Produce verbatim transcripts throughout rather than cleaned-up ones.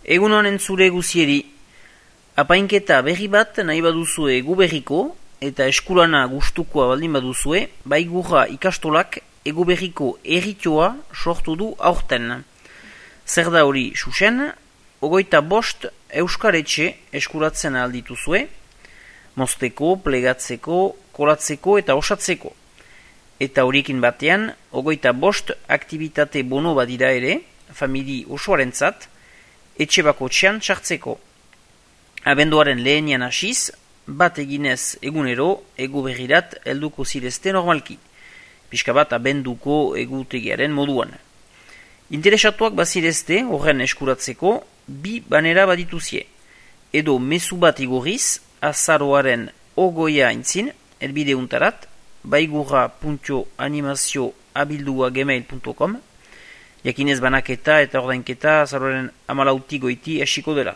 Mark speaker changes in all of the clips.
Speaker 1: Egun honen zure guzieri, apainketa berri bat nahi baduzue egu berriko eta eskulana gustukoa baldin baduzue, baigurra ikastolak egu berriko erritioa sortu du aurten. Zer da hori xuxen, ogoita bost euskaretxe eskuratzen aldituzue, mozteko, plegatzeko, kolatzeko eta osatzeko. Eta horiekin batean, ogoita bost aktivitate bono badira ere, famili osoarentzat, etxe bakotxean txartzeko. Abenduaren lehenian hasiz, bat eginez egunero, egu berrirat helduko zirezte normalki. Pixka bat abenduko egutegiaren moduan. Interesatuak bazirezte horren eskuratzeko, bi banera badituzie. Edo mezu bat igorriz, azaroaren ogoia intzin, elbideuntarat, baigurra puntu animazio abildua gmail puntu com, jakinez banaketa eta ordainketa azaroaren amalauti goiti esiko dela.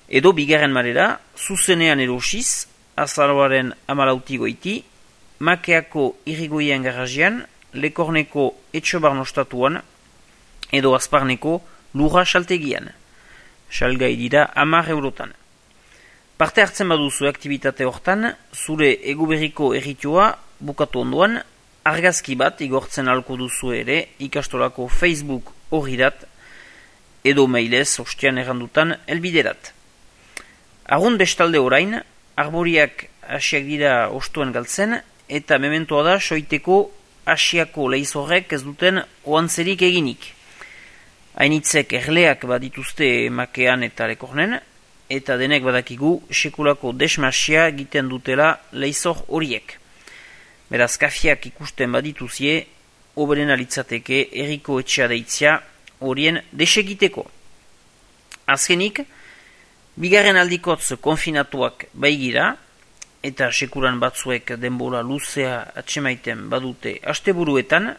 Speaker 1: Edo bigarren marera, zuzenean erosiz, azaroaren amalauti goiti, Makeako irrigoien garajian, Lekorneko etxobarnostatuan, edo Azparneko lurra saltegian. Salgai dira hamar eurotan. Parte hartzen baduzu aktivitate hortan, zure eguberriko erritioa bukatu ondoan, argazki bat igortzen alko duzu ere ikastolako Facebook horrirat, edo mailez ostian errandutan elbiderat. Argun bestalde orain, arboriak hasiak dira ostuen galtzen, eta mementoa da soiteko asiako leizorrek ez duten oantzerik eginik. Hainitzek erleak badituzte Makean eta Lekornen, eta denek badakigu sekulako desmasia egiten dutela leizor horiek. Beraz, kafiak ikusten badituzie, oberen alitzateke erriko etxea deitzia horien desegiteko. Azkenik, bigarren aldikotz konfinatuak baigira, eta sekuran batzuek denbora luzea atsemaiten badute asteburuetan,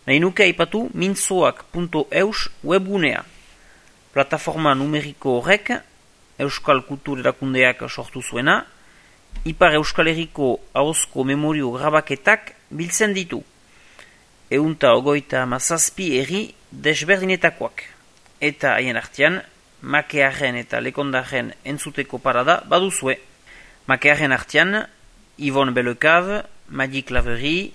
Speaker 1: nahi nuke aipatu mintzoak puntu eus webgunea. Plataforma numeriko horrek, Euskal Kultur Erakundeak sortu zuena, Ipar Euskal Herriko ahozko memorio grabaketak biltzen ditu. Eunta ogoita mazazpi herri desberdinetakoak. Eta haien artean, Makearen eta Lekondaren entzuteko parada baduzue. Makearen artean, Yvonne Bellecave, Madi Claverie,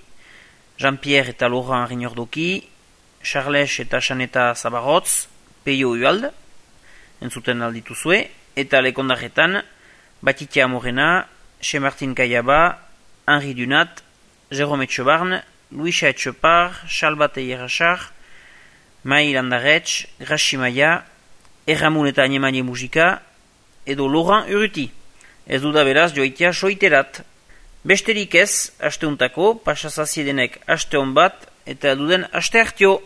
Speaker 1: Jean-Pierre eta Laurent Rignordoki, Charles eta Xaneta Zabarotz, Peio Ualde, entzuten aldituzue, eta Lekondaretan, Batitia Morena, Che-Martin Kayaba, Henri Dunat, Jérôme Etxebarn, Luisa Etxepar, Xalbate Ierachar, Mai Landaretx, Grachi Maia, Erramun eta Anemanie Musika, edo Laurent Urruti. Ez duda beraz joitea soiterat. Besterik ez, asteuntako, pasazaziedenek aste hon bat, eta duden aste hartio.